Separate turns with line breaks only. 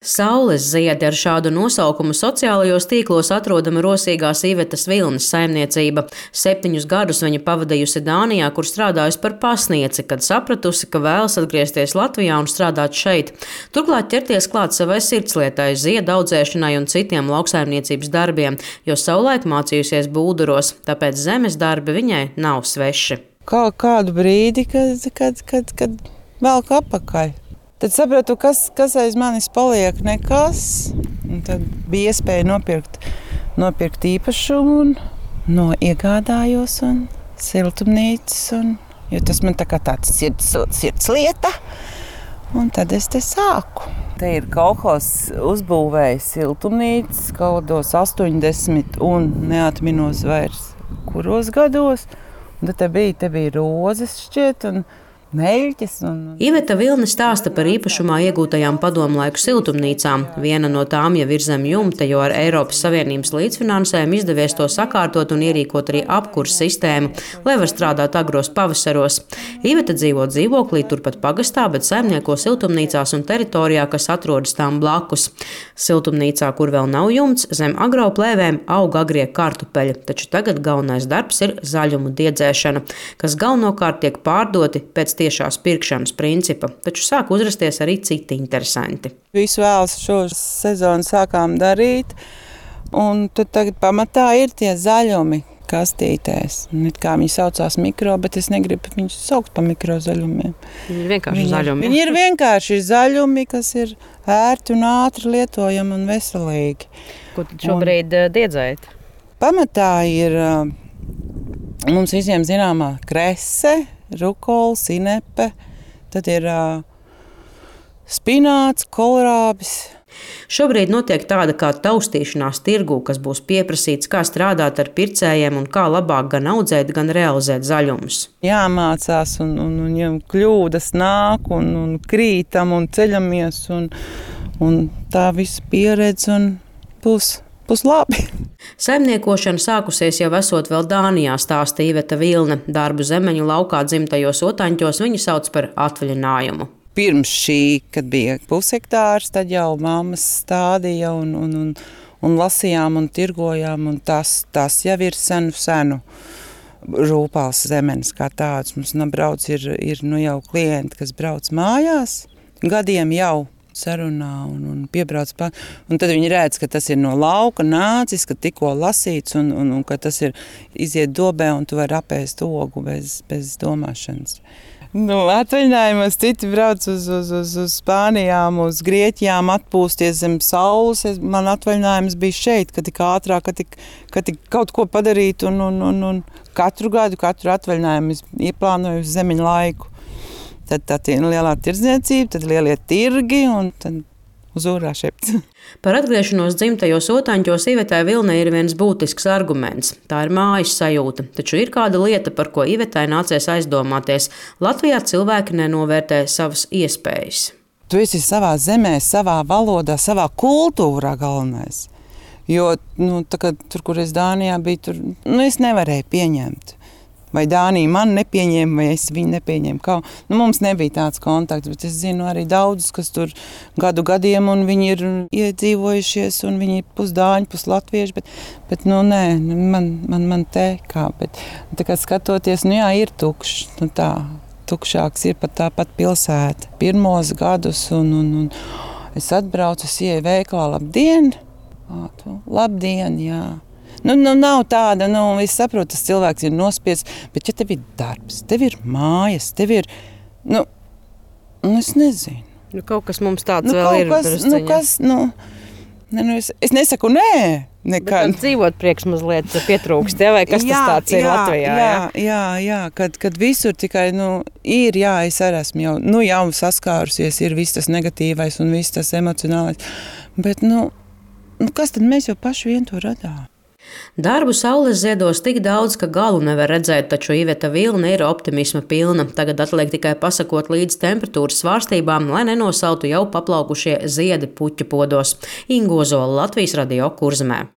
Saules ziedi ar šādu nosaukumu sociālajos tīklos atrodama rosīgās Ivetas Vilnes saimniecība. 7 gadus viņa pavadījusi Dānijā, kur strādājusi par pasnieci, kad sapratusi, ka vēlas atgriezties Latvijā un strādāt šeit. Turklāt ķerties klāt savai sirdslietai, ziedu audzēšanai un citiem lauksaimniecības darbiem, jo savulaik mācījusies Bulduros, tāpēc zemes darbi viņai nav sveši.
Kādu brīdi, kad velk apakaļ. Tad sapratu, kas aiz manis paliek, nekas. Un tad bija iespēja nopirkt īpašumu, iegādājos un siltumnīcas. Jo tas man tā kā tāds sirds lieta. Un tad es te sāku. Te ir kolhozs uzbūvējis siltumnīcas kaut kādos 80 un neatminos vairs kuros gados. Un tad te bija rozes šķiet un meļķes.
Iveta Vilne stāsta par īpašumā iegūtajām padomlaiku siltumnīcām. Viena no tām jau ir zem jumta, jo ar Eiropas Savienības līdzfinansējumu izdevies to sakārtot un ierīkot arī apkures sistēmu, lai var strādāt agros pavasaros. Iveta dzīvo dzīvoklī turpat pagastā, bet saimnieko siltumnīcās un teritorijā, kas atrodas tām blakus. Siltumnīcā, kur vēl nav jumts, zem agroplēvēm aug agrie kartupeļi, taču tagad galvenais darbs ir zaļumu diedzēšana, kas galvenokārt tiek pārdoti pēc tiešās pirkšanas principa, taču sāk uzrasties arī citi interesanti.
Visu vēlas šo sezonu sākām darīt, un tad tagad pamatā ir tie zaļumi kastītēs. Kā viņi saucās mikro, bet es negribu viņus saukt par mikrozaļumiem.
Viņi ir vienkārši zaļumi.
Viņi ir vienkārši zaļumi, kas ir ērti un ātri lietojami un veselīgi.
Ko tad šobrīd diedzējat?
Pamatā ir mums visiem zināmā krese, rukola, sinepe, tad ir spināts, kolerābis.
Šobrīd notiek tāda kā taustīšanās tirgū, kas būs pieprasīts, kā strādāt ar pircējiem un kā labāk gan audzēt, gan realizēt zaļumus.
Jāmācās un ja kļūdas nāk un krītam un ceļamies un tā visa pieredze un būs labi.
Saimniekošana sākusies jau esot vēl Dānijā, stāsta Iveta Vilne. Darbu zemeņu laukā dzimtajos Otaņķos viņa sauc par atvaļinājumu.
Pirms šī, kad bija pushektārs, tad jau mammas stādīja un lasījām un tirgojām, un tas jau ir senu rūpāls zemenes kā tāds. Mums brauc ir jau klienti, kas brauc mājās, gadiem jau sarunā un piebrauc pār. Un tad viņi redz, ka tas ir no lauka nācis, ka tikko lasīts un ka tas ir iziet dobē un tu vari apēst ogu bez domāšanas. Atvaļinājumos citi brauc uz Spānijām, uz Grieķijām atpūsties zem saules. Man atvaļinājums bija šeit, ka tik ātrāk, ka tik kaut ko padarīt un katru atvaļinājumu es ieplānoju uz zemeņu laiku. Tad tā ir lielā tirdzniecība, tad lielie tirgi un tad uz ūrā šepts.
Par atgriešanos dzimtajos Otaņķos Ivetai Vilnei ir viens būtisks arguments. Tā ir mājas sajūta, taču ir kāda lieta, par ko Ivetai nācies aizdomāties. Latvijā cilvēki nenovērtē savas iespējas.
Tu esi savā zemē, savā valodā, savā kultūrā galvenais. Jo tur, kur es Dānijā biju, tur es nevarēju pieņemt. Vai Dānija man nepieņēma, vai es viņu nepieņēmu. Mums nebija tāds kontakts, bet es zinu arī daudzus, kas tur gadiem, un viņi ir iedzīvojušies, un viņi ir pusdāņi, puslatvieši, bet nē, man te kā. Bet tā kā skatoties, ir tukšs, tukšāks ir pat tāpat pilsēta. Pirmos gadus, un es atbraucu, es ieeju veikalā, labdien, jā. Nav tāda, es saprotu, tas cilvēks ir nospiests, bet ja tev ir darbs, tev ir mājas, tev ir, es nezinu.
Kaut kas mums tāds vēl ir.
Es nesaku nē.
Nekad. Bet dzīvot priekš mazliet pietrūkst, vai kas tas tāds ir Latvijā?
Jā, kad visur tikai, es arī esmu jau saskārusies, ir viss tas negatīvais un viss tas emocionālais, bet, kas tad mēs jau paši vien to radām?
Darbu saules ziedos tik daudz, ka galu nevar redzēt, taču Iveta Vilne ir optimisma pilna. Tagad atliek tikai pasakot līdz temperatūras svārstībām, lai nenosautu jau paplaukušie ziedi puķu podos. Inga Ozola, Latvijas Radio, Kurzemē.